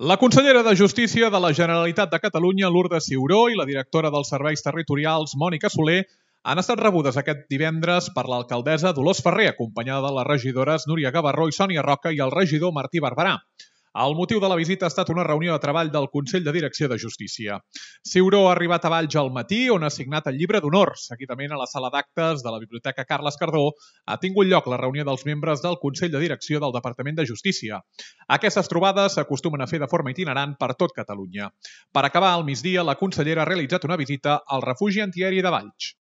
La consellera de Justícia de la Generalitat de Catalunya, Lourdes Ciuró, i la directora dels Serveis Territorials, Mònica Soler, han estat rebudes aquest divendres per l'alcaldessa Dolors Ferrer, acompanyada de les regidores Núria Gavarró i Sònia Roca i el regidor Martí Barberà. El motiu de la visita ha estat una reunió de treball del Consell de Direcció de Justícia. Ciuró ha arribat a Valls al matí, on ha signat el llibre d'honor. Seguidament, a la sala d'actes de la Biblioteca Carles Cardó ha tingut lloc la reunió dels membres del Consell de Direcció del Departament de Justícia. Aquestes trobades s'acostumen a fer de forma itinerant per tot Catalunya. Per acabar, al migdia, la consellera ha realitzat una visita al refugi antiaeri de Valls.